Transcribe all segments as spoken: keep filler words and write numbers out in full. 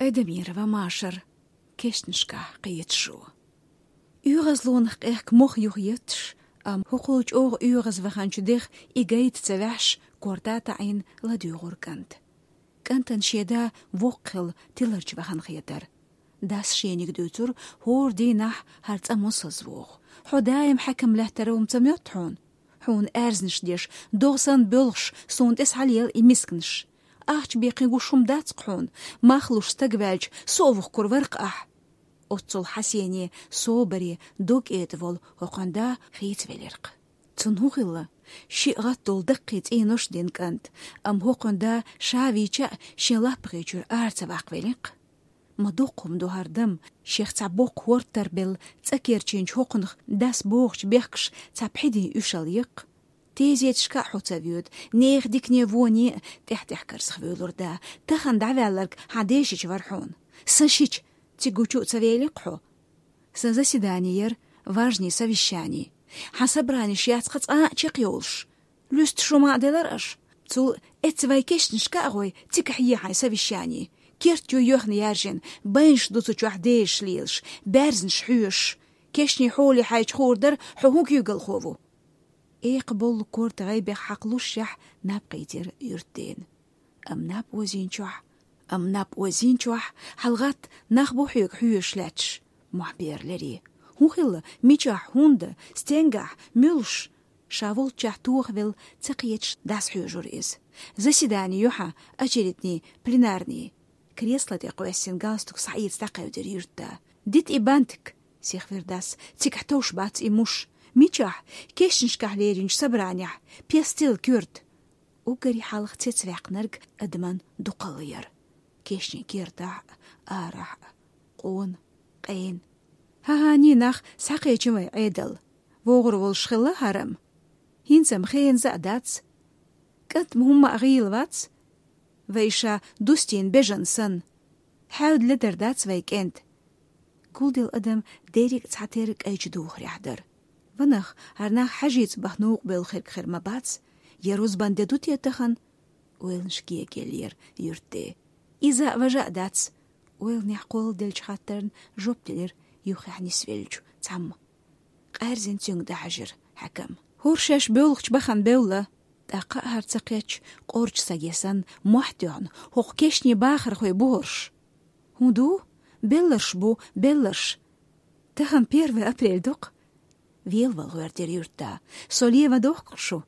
Айдамирова Машар, кешнашкахь кхеташо. ОьгӀазлонах къехка мох юха етташ, амма хӀокхул чӀогӀа оьгӀазваханчу дех и гайта ца ваьхьаш, корта таӀийна ладуьйгӀура кӀант. КӀантана шен да воккха хилла тиларчу вахана хетара. Дас шениг дуьйцура, хӀора дийнахь хӀара цӀа мосазза вогӀу. Хьо даим хьаькам лаьттара хӀума ца моьтту хьуна? Хьуна аьрзнаш деш, догӀа санна боьлхуш, суна тӀе схьалела и мисканаш. Ахча беккхий гуш хӀума дац-кх хьуна, мах луш стаг ваьлча, со а вухкур вара-кх ахь. Оццул хьасене, собаре, дог кӀеда волу хӀокхуьнан да хийцавелира-кх. Цунна хӀун хилла? Шиъ гӀатталуш даккхий цӀенош дина кӀант, амма хӀокхуьнан да ша вийча а шен лаппагӀий чуьра ара ца ваккхавелира-кх. Ма доккха хӀума ду хӀара дама, шех цхьа боккха хӀорд тарбелла, цӀа керчийначу хӀокхунах дас богӀучу бехкаш цхьа пхьидин уьшалла я-кх. Тезеташка а хьо ца воьду, нехан дикане воне а тӀехь-тӀехь карзахвуьйлура да, тахана дӀаваьлларг хьан дешича вара хьуна. Сан шича, цига гучу а ца велира-кх хьо. Сан заседани яра, важни совещани. Хьан собраниш яц-кха цкъа а чекхйолуш. Луьстуш хӀума а делара аша. Цул эцца вайн кешнашка а гӀой, цигахь е хьайн совещани. Керт ю йоьхна яьржина, байнаш ду цу чохь дезаш лелаш, баьрзнаш хьоьшуш. Кешнийн хьоле хьайча хуур дара, хьо хӀун куьйгалхо ву. Экха болу корта гӀайбех хьакхалушшехь, наб кхийтира юьртдена. Амма наб озийначохь, амма наб озийначохь, хьалагӀатта нах бу хьоьга хьоьжуш лаьтташ, мохь бер лерий. ХӀун хилла, мичахь, хӀунда, стенгахь, муьлш? Ша волччохь тохавелла, ца кхеташ дас хьоьжура иза. Заседани ю хьан, очередни, пленарни. Кресла тӀе кхоьссина галстук схьаэца дӀакхевдира юьртда. Дита и бантик, сихвира дас, цигахь товш бац и муш. Мичахь? Кешнашкахь леринчу собранехь, пестил куьрт. Уггаре хьалха цецваьккхинарг адаман дукхалла яра. Кешнийн кертахь а, арахь а, къона, къена. ХӀан-хӀан, нах, схьакхечи вай Ӏедал. ВогӀур волуш хилла хӀара-м. ХӀинца-м хеназа а дац. КӀант-м хӀумма а гӀийла вац. Вай ша дустийна бежан санна. Хьаьвда ледар дац вай кӀентан. Гулделла адам дерриг а цхьатерра кӀайчу духарехь дара. Ванах, хӀара нах хьажийца бахьа новкъа бевлла хирг хир ма бац, я рузбан де ду те тахана? Ойланаш кегаеллера юьртде. Иза а, важа а дац, ойланехь кхолладеллачу хаттарна жоп делира юххехь нисвеллачу цхьамма. Къаьрзина цуьнга дӀахьаьжира хьаькам. ХӀора шаьш боьлхучу бахана бевлла. ТӀаккха а хӀара ца кхетча, къорчу саге санна, мохь тоьхна, хӀокху кешнийн бахархой бу хӀорш. ХӀун ду? Белларш бу, белларш. Тахана первое апрель ду-кх. Велавала гӀоьртира юьртда. Со ле ма дохку-кх шу.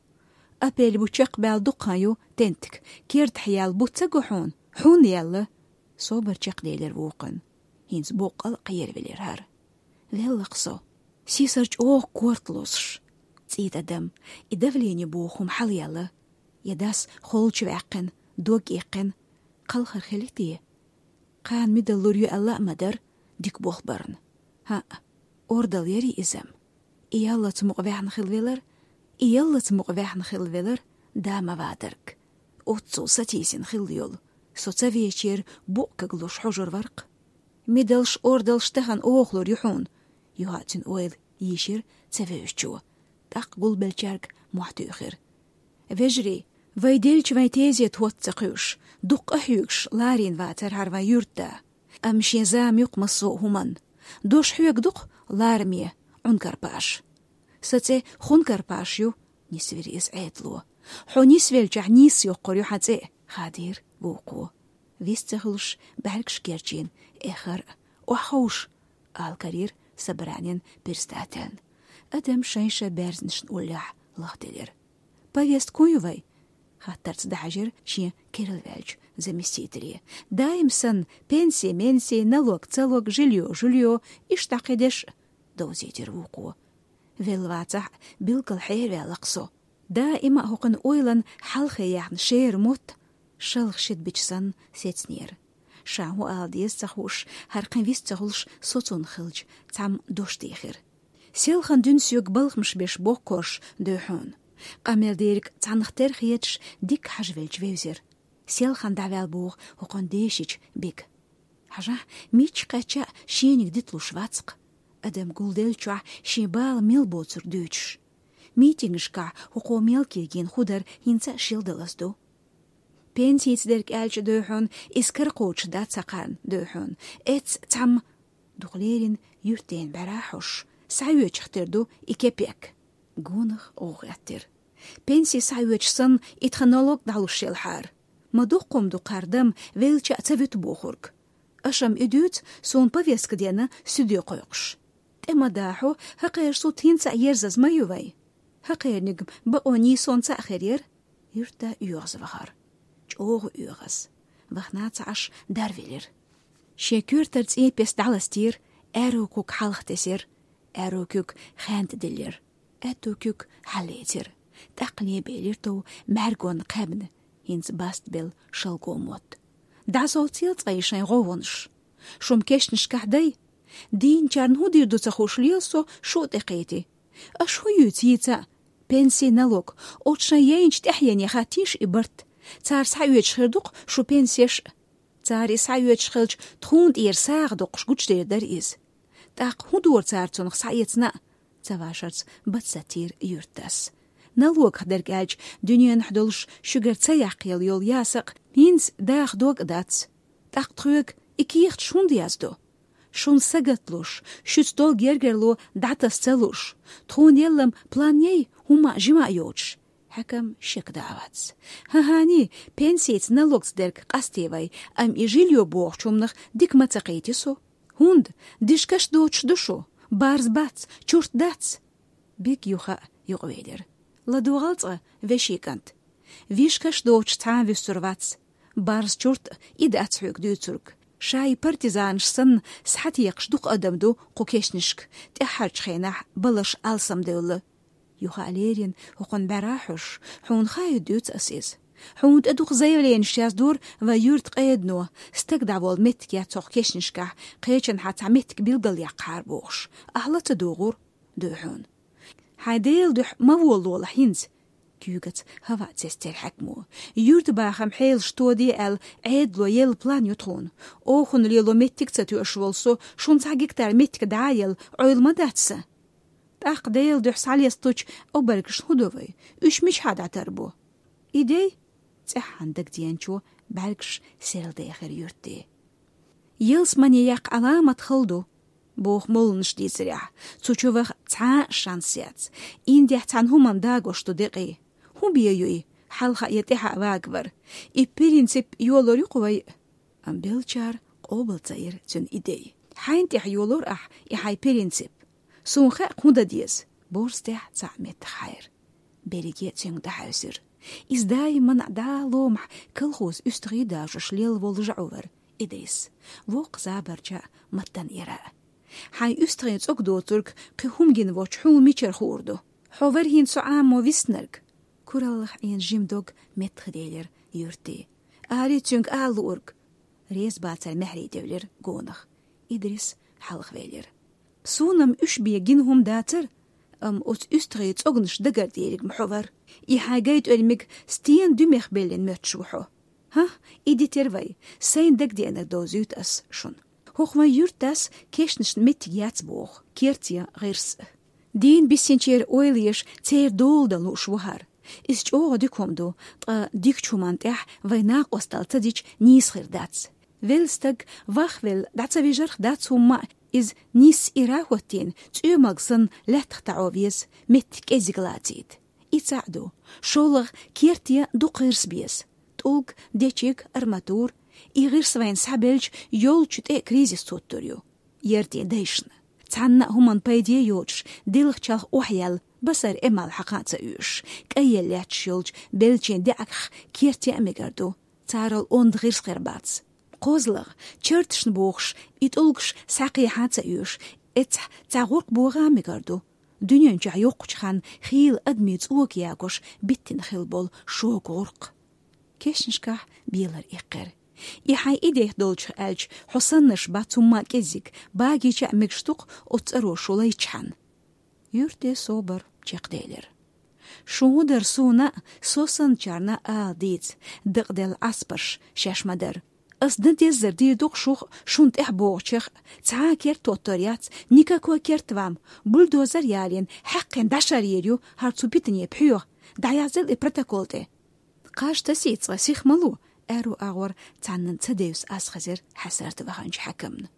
Апрель бу чекхбаьлла дукха хан ю, тентик. Кертахь яьлла бу ца го хьуна? Хьунна яьлла. Собар чекхделира вукхуьнан. ХӀинца боккъал а кхеравелира хӀара. Велла-кх со. Сийсара чӀогӀа корта лозуш. ЦӀийта адам, и давление боху хӀума хьалаяьлла. Я дас холчу ваьккхина, дог иккхина. Кхалхар хили те? Кхана мидал лур ю аьлла а ма дара, дика болх барна. ХӀаъ, ордал яри иза-м. И яллаца мукъа ваьхна хила велар, и яллаца мукъа ваьхна хила велар, да ма вадарг. Оццул сатийсина хилла йолу. Со ца веачера букъ каглуш хьожур вара-кх. Мидалш, ордалш тахана охалур ю хьуна, юха а цуьнан ойла йийшира ца вевзачо. ТӀаккха гулбеллачаьрга мохь туьйхира. Вежарий, вай делча вайн тезета хӀотта ца кхуьуш, дуккха а хьоьгуш ларийна вацара хӀара вайн юьртда. Амма шен зама ю-кх массо а хӀуманна. Дош хьоьга ду-кх лараме, Ӏункарпаш. Сан цӀе Хункарпаш ю, нисвира иза Ӏедало. Хьо нисвеллачохь нийсса йоккхур ю хьан цӀе, хадийра вукхо. Вист ца хуьлуш, бӀаьргаш керчийна, эххар а, охьаховша, ала карийра собранин председательна. Адам шайн-шайн баьрзнашна уллехь лахделира. Повестка хӀун ю вай? Хаттарца дӀахьаьжира шен керла ваьллачу заместителе. Даим санна, пенси-менси, налог-цалог, жильё-жульё, иштта кхидерш, довзийтира вукхо. Велла вацахь а, билггал хьерваьлла-кх со. Даима а хӀокхуьнан ойланна хьалхе яьхна шера мотт, шалха шидбича санна, сецнера. Ша хӀун ала деза ца хууш, хӀара кхин вист ца хуьлуш соцунна хилча, цхьамма дош дийхира. Селхана дуьнен соьга балхамаш беш боккхарш дуй хьуна. Къамел дерг цхьаннах тера хеташ, дикка хьажа велча вевзира. Селхана дӀаваьлла боху хӀокхуьнан дешича Бега. Хьажахь, мичча кхаьчча а шениг диталуш вац-кх. Адам гулделлачохь шен бала мел боцург дуьйцуш. Митингашкахь хӀокхо мел кегийна хӀун дара хӀинца а шелдалаза ду. Пенсица дерг аьлча дохьун, из кара кхочуш дац цхьаккха дохьун. Эц цхьамма дукха лерина юртден бӀаьра хьош, схьаоьцуш хир ду и кепек. Гонах гӀо хеттера. Пенси схьаоьцуш санна, и тха налог дӀалуш елхьара. Ма дуккха ду кхардам велча а ца вуьту бохург. Аша-м и дуьйцу, суна повестка дена суьде кхойкхуш. ТӀе ма дахьо, хӀокхеран суд хӀинца а ерзаза ма ю вай. ХӀокхерниг бакъо нийсонца а хир яра. Юьртда оьгӀаз вахара. ЧӀогӀа оьгӀаз. Вахана ца Ӏаш дарвелира. Шен коьртара цӀен пес дӀаластийра, аьрру куг хьалха тесира, аьрру куг хьаьнта диллира. Аьтту куг хьаллецира. ТӀаккха лебелира тов мӀаьргонна кхаьбна, хӀинца баста белла шалго мотт. ДӀасовцийла цкъа и шайн гӀовгӀанаш. Шу-м кешнашкахь дай? Дийначарна хӀун дийр ду ца хууш лела со, шу а тӀекхетий. Аша хӀун юьйцу йийца а? Пенси, налог. Оцу шайн яйначу тӀаьхьенех хаттийша и барт. Цара схьаоьцуш хир ду-кх шу пенсеш а. Цара и схьаоьцуш хилча, тхуна тӀера сагӀа доккхуш гучудер дара иза. ТӀаккха хӀун дора цара цунах схьаэцна а? Ца вашарца бац сатийра юьртдас. Налогах дерг аьлча, дуьненахь долуш шуьгара ца яккхаелла йолу ясакъ хӀинца даха дог а дац. ТӀаккха тхоьга и кехаташ хӀунда яздо? Шуна сагатлуш, шуьца долу гергарло дӀатаса ца луш, тхуна елла-м план яй, хӀумма а жима а йоцуш. Хьаькам шек дан а вац. ХӀан-хӀани, пенсица, налогца дерг къасте вай, амма и жильё бохучу хӀуманах дика ма ца кхийти со. ХӀунда, дишкаш доцуш ду шу? Барз бац, чурт дац. Биг юха а юкъавелира. ЛадогӀал цкъа, вешин кӀант. Вишкаш доцуш цхьа а вуьссур вац. Барз чурт а и дац хьоьга дуьйцург. Ша и партизанаш санна схьатекхаш дукха адам ду кху кешнашка, тӀаьххьарчу хенахь балаш алсамдевлла. Юха а лерина, хӀокхунна бӀаьра хьош, хьуна хаийта дуьйцу ас иза. Хьуна тӀе дукха заявленеш яздора вайн юьртан къедано, стаг дӀаволла меттиг яц хӀокху кешнашкахь, кхечанхьа цхьа меттиг билгалъяккхахьара бохуш. Ахьа ла ца догӀура, дуй хьуна. Хьайн Делан дуьхьа ма волалолахь хӀинца. Куьйгаца хӀаваъ цецдира хьаькамо. Юьртан бахам хьелаш тоде аьлла, Ӏедало елла план ю тхуна. Оханна лело меттиг а ца тоьуш волу со, шуна цхьа гектар меттиг дӀа а елла, Ӏойла ма дац сан. ТӀаккха Делан дуьхьа схьалесталучу обаргашна хӀун до вай? Уьш мичахьа дӀатарбо? И дей? ЦӀеххьана дагадеанчо бӀаьргаш серладехира юьртан. Ялсамане яккха Ӏаламат хала ду, боху молланаш дийцарехь, цу чу ваха цхьа а шанс яц. Индехь цхьана хӀуманна дагош ду декъий. ХӀун бен ю и, хьалха я тӀаьхьа вагавар? И принцип йолор ю-кх вай. Амма беллачара къобал ца йира цуьнан идея. Хьайна тӀехь йолор ахь и хьайн принцип? Суна хаьа-кх хӀун дан деза. Борз тӀехь цхьаъ меттах хьайра. Берриге а цуьнга дӀахьаьвсира. Иза даимана а дӀа ломахь колхозан уьстагӀий дажош лелла волу жаӀу вара Идрис. Воккха забарча а, маттана ира а. Хьайн уьстагӀийн цӀог доцург кхин хӀума гина воцчу хьуна мичара хуур ду? Хьо вара хӀинца со Ӏамо виснарг. Кураллах Ӏийна жима дог меттахделира юьртан. Ари цуьнга ала луург. Реза бацара маьхьарий девлира гонах. Идрис хьалхавелира. Суна-м уьш бен гина хӀума дацара, амма оцу уьстагӀийн цӀогнаш дагардийриг-м хьо вара. И хьайн гайтӀоьлмиг стенан дуьмех беллина моьттуш ву хьо. ХӀа, и ди тера вай, сайна дагадеанарг довзуьйту ас шуна. ХӀокху вайн юьртдас кешнашна меттиг яц боху, керте гӀирс а. Дийна биссинчеран ойла еш, церан дола дан лууш ву хӀара. Иза чӀогӀа дика хӀума ду, ткъа дикачу хӀуманна тӀехь вайн накъосталла ца дича нийса хир дац. Велла стаг, вахвелла, дӀа ца вижарх дац хӀумма а, иза нисса ира хӀоттийна, цӀоьмалг санна лаьттах таӀо веза, меттиг кӀеззиг лацийта. И цхьаъ ду. ШолгӀа, керте дукха гӀирс беза. ТӀулг, дечиг, арматура. И гӀирс вайна схьабелча, йолчу тӀе кризис туттур ю. Яртийн дайшна. Цхьанна а хӀуманна пайде йоцуш, дилха чалх охьаяьлла, басар эмал хьакха а ца оьшуш, кӀайелла лаьтташ йолчу беллачийн даьӀахках керте а мегар ду. Царал онда гӀирс хир бац. КхозлагӀа, чарташна бохуш, и тӀулгаш схьакхехьа а ца оьшу, эццахь цхьа гӀуркх богӀа а мегар ду. Дуьнен чохь йоккхачу ханна хийла адамийн цӀока ягош биттина хилла болу шога гӀуркх. Кешнашкахь белар иккхира. И хьайн идея долчух аьлча, хьо саннарш бац хӀумма а кӀеззиг, багийча а мегаш ду-кх оцу цӀаро шу лайчхьана. Юьртан собар чекхделира. Шун хӀун дара суна а, со санначарна а ала дийца, дакъаделла Ӏаспарш шаьш ма дара. Ас дан деззар дийр ду-кх шух, шуна тӀаьхьа богӀучех, цхьа а керт тоттор яц, никакой керт вам, бульдозер ялийна, хьаькхина дӀашар йийр ю хӀара цу питане пхьоьгӀа, дӀаязйал и протокол тӀе. Кхаж тасийта цкъа, сих ма ло, Аьрру агӀор цхьаннена ца девза аз хезар хьасарта ваханчу хьаькамна.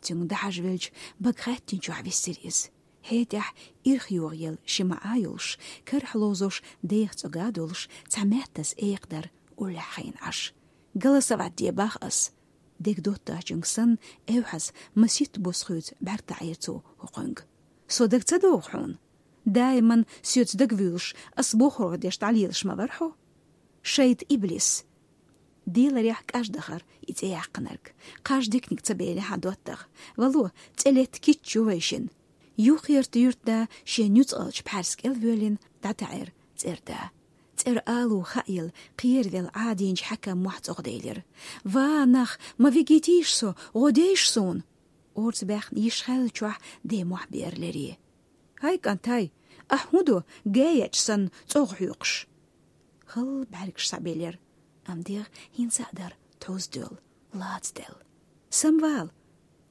Цуьнга дӀахьажавелча, бага хаьттинчохь виссира иза. ХӀетахь ирх йогӀу елла ши маӀа йолуш, карахь ловзош, деха цӀога а долуш, цхьа маьттаза экха дара уллехь хиъна Ӏаш. «Голосовать де, бах ас». ДегадоттагӀчуьнга санна, эвхьаза масийтта бос хуьйцу бӀаьрг таӀийра цо хӀокхуьнга. «Со дага ца догӀу хьуна? Даиман соьца дагавуьйлуш, ас бохург деш дӀалелаш ма вара хьо? Шайтан иблис!» Деларехь кӀаж дахара и цӀе яьккхинарг. Кхаж диканиг ца белира хьан доттагӀа. Вало, цӀе летта кийча ю вайшинна. Юххерта юьртда шен нуьцкъалчу пхьаьрса кӀел воьллина дӀатаьӀира цӀерда. ЦӀера алу хаъелла, кхеравелла Ӏадийначу хьаькам мохь цӀогӀа делира. «Ва, нах, ма вигийтийша со, гӀо дейша суна!» Орца баьхна йиш хиллачохь ден мохь беара лерий. «ХӀай, кӀант, хӀай, ахь хӀун до, гаечу санна, цӀогӀа хьоькхуш?» Халла бӀаьргаш схьабелира, амма дегӀ хӀинца а дара тхьузделла, лацаделла. «Самвал!»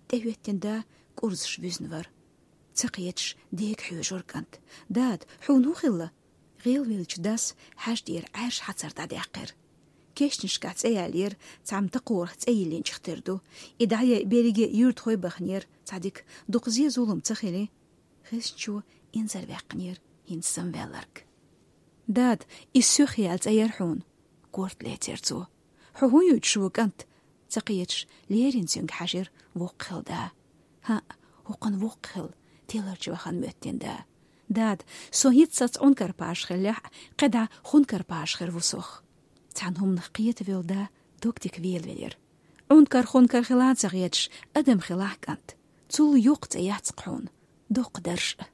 ТӀехӀоьттина да кӀурзаш вуьзна вара. Ца кхеташ дега хьоьжура кӀант. «Дада, хьуна хӀун хилла?» ГӀелвеллачу дас хьаьжа тӀера Ӏаьржа хьацар дӀадаьккхира. Кешнашкахь цӀе яьллера, цхьамма такхорах цӀе йиллинчух тера ду. И дӀаяйа берриге юьртахой баханера, цхьа дика дукха зен-зулам ца хили. Хезничо инзарваьккхинера хӀинца самаваьлларг. «Дада, иза соьх яьлла цӀе яра хьуна», — корта лецира цо. «Хьо хӀун юьйцуш ву, кӀант?» — ца кхеташ, леррина цуьнга хьаьжира воккха хилла да. «ХӀаъ, хӀокхуьнан воккха хилла», — тиларчу вахана моьттина да. «Дада, со хӀинцца саца Ӏункар-паша хиллехь а, кхидӀа хункар-паша хир ву сох». Цхьана хӀуманах кхетавелла да дог дика велавелира. «Ӏункар-хункар хила а ца хеташ, адам хилахь, кӀант. Цул йоккха цӀе яц-кх хьуна. Доккха дарж а».